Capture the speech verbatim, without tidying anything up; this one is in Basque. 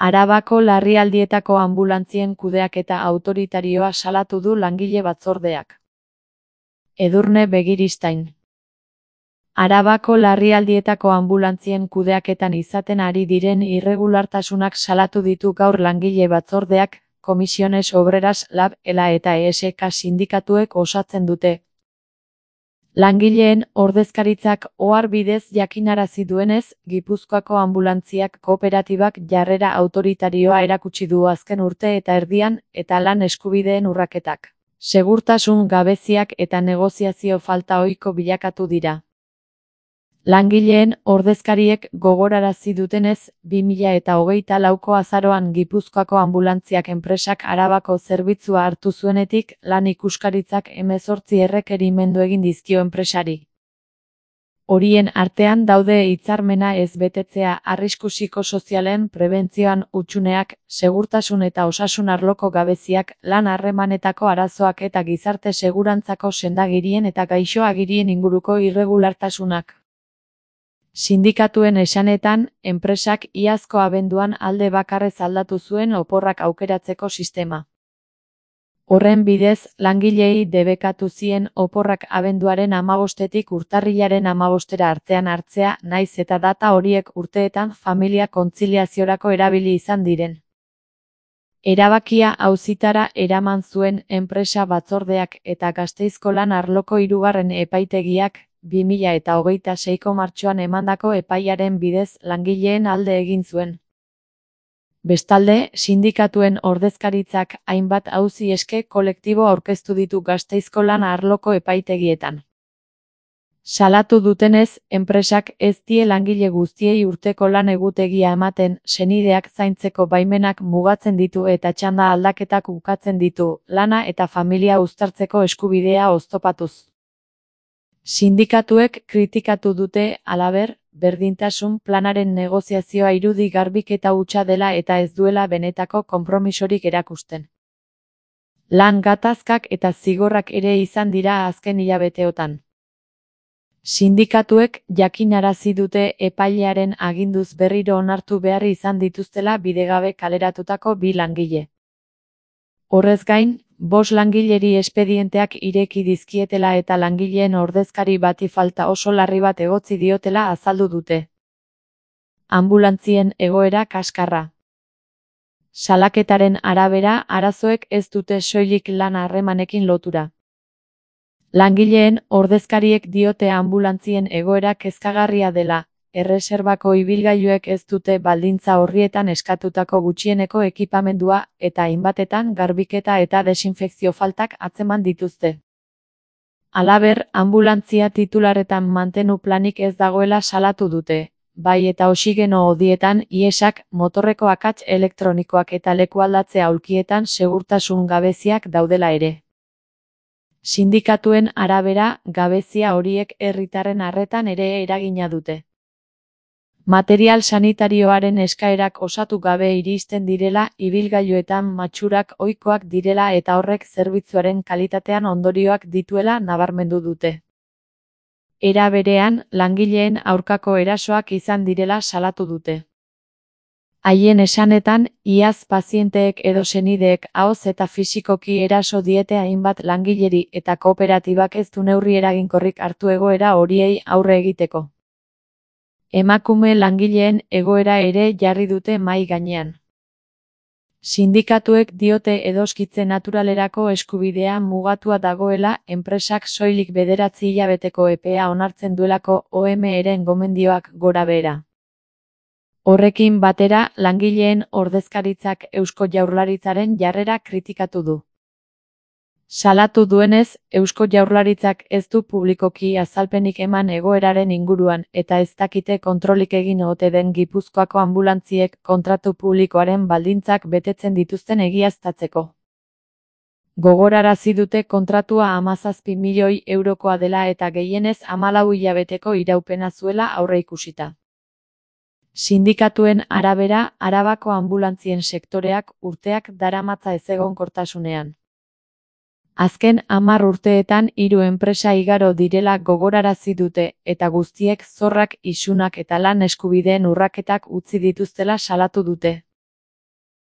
Arabako larrialdietako anbulantzien kudeaketa autoritarioa salatu du langile batzordeak. Edurne Begiristain. Arabako larrialdietako anbulantzien kudeaketan izaten ari diren irregulartasunak salatu ditu gaur langile batzordeak, Comisiones Obreras Lab, ELA eta E S K sindikatuek osatzen dute. Langileen ordezkaritzak ohar bidez jakinarazi duenez, Gipuzkoako anbulantziak kooperatibak jarrera autoritarioa erakutsi du azken urte eta erdian, eta lan eskubideen urraketak, segurtasun gabeziak eta negoziazio falta ohiko bilakatu dira. Langileen ordezkariek gogorarazi dutenez, bi mila eta hogeita lauko azaroan Gipuzkoako anbulantziak enpresak Arabako zerbitzua hartu zuenetik, lan ikuskaritzak hemezortzi errekerimendu egin dizkio enpresari. Horien artean daude hitzarmena ez betetzea, arrisku psikosozialen prebentzioan hutsuneak, segurtasun eta osasun arloko gabeziak, lan harremanetako arazoak eta gizarte segurantzako sendagirien eta gaixoagirien inguruko irregulartasunak. Sindikatuen esanetan, enpresak iazko abenduan alde bakarrez aldatu zuen oporrak aukeratzeko sistema. Horren bidez, langileei debekatu zien oporrak abenduaren hamabostetik urtarrilaren hamabostera artean hartzea, naiz eta data horiek urteetan familia kontziliaziorako erabili izan diren. Erabakia auzitara eraman zuen enpresa batzordeak eta Gasteizko lan arloko hirugarren epaitegiak, bi mila eta hogeita seiko martxoan emandako epaiaren bidez langileen alde egin zuen. Bestalde, sindikatuen ordezkaritzak hainbat auzi eske kolektibo aurkeztu ditu Gasteizko lan arloko epaitegietan. Salatu dutenez, enpresak ez die langile guztiei urteko lan egutegia ematen, senideak zaintzeko baimenak mugatzen ditu eta txanda aldaketak ukatzen ditu, lana eta familia uztartzeko eskubidea oztopatuz. Sindikatuek kritikatu dute, halaber, berdintasun planaren negoziazioa irudi garbiketa hutsa dela eta ez duela benetako konpromisorik erakusten. Lan gatazkak eta zigorrak ere izan dira azken hilabeteotan. Sindikatuek jakinarazi dute epailearen aginduz berriro onartu behar izan dituztela bidegabe kaleratutako bi langile. Horrez gain, bost langileri espedienteak ireki dizkietela eta langileen ordezkari bati falta oso larri bat egotzi diotela azaldu dute. Anbulantzien egoera kaskarra. Salaketaren arabera, arazoek ez dute soilik lan harremanekin lotura. Langileen ordezkariek diote anbulantzien egoera kezkagarria dela, erreserbako ibilgailuek ez dute baldintza horrietan eskatutako gutxieneko ekipamendua eta hainbatetan garbiketa eta desinfekzio faltak atzeman dituzte. Halaber, anbulantzia titularetan mantenu planik ez dagoela salatu dute, bai eta oxigeno hodietan iesak, motorreko akats elektronikoak eta lekualdatze aulkietan segurtasun gabeziak daudela ere. Sindikatuen arabera, gabezia horiek herritarren arretan ere eragina dute. Material sanitarioaren eskaerak osatu gabe iristen direla, ibilgailuetan matxurak ohikoak direla eta horrek zerbitzuaren kalitatean ondorioak dituela nabarmendu dute. Era berean, langileen aurkako erasoak izan direla salatu dute. Haien esanetan, iaz pazienteek edo senideek ahoz eta fisikoki eraso diete hainbat langileri eta kooperatibak ez du neurri eraginkorrik hartu egoera horiei aurre egiteko. Emakume langileen egoera ere jarri dute mahai gainean. Sindikatuek diote edoskitze naturalerako eskubidea mugatua dagoela, enpresak soilik bederatzi hilabeteko epea onartzen duelako O M eren gomendioak gorabehera. Horrekin batera, langileen ordezkaritzak Eusko Jaurlaritzaren jarrera kritikatu du. Salatu duenez, Eusko Jaurlaritzak ez du publikoki azalpenik eman egoeraren inguruan eta ez dakite kontrolik egin ote den Gipuzkoako anbulantziek kontratu publikoaren baldintzak betetzen dituzten egiaztatzeko. Gogorarazi dute kontratua hamazazpi milioi eurokoa dela eta gehienez hamalau hilabeteko iraupena zuela aurreikusita. Sindikatuen arabera, Arabako anbulantzien sektoreak urteak daramatza ezegonkortasunean. Azken hamar urteetan hiru enpresa igaro direla gogorarazi dute eta guztiek zorrak, isunak eta lan eskubideen urraketak utzi dituztela salatu dute.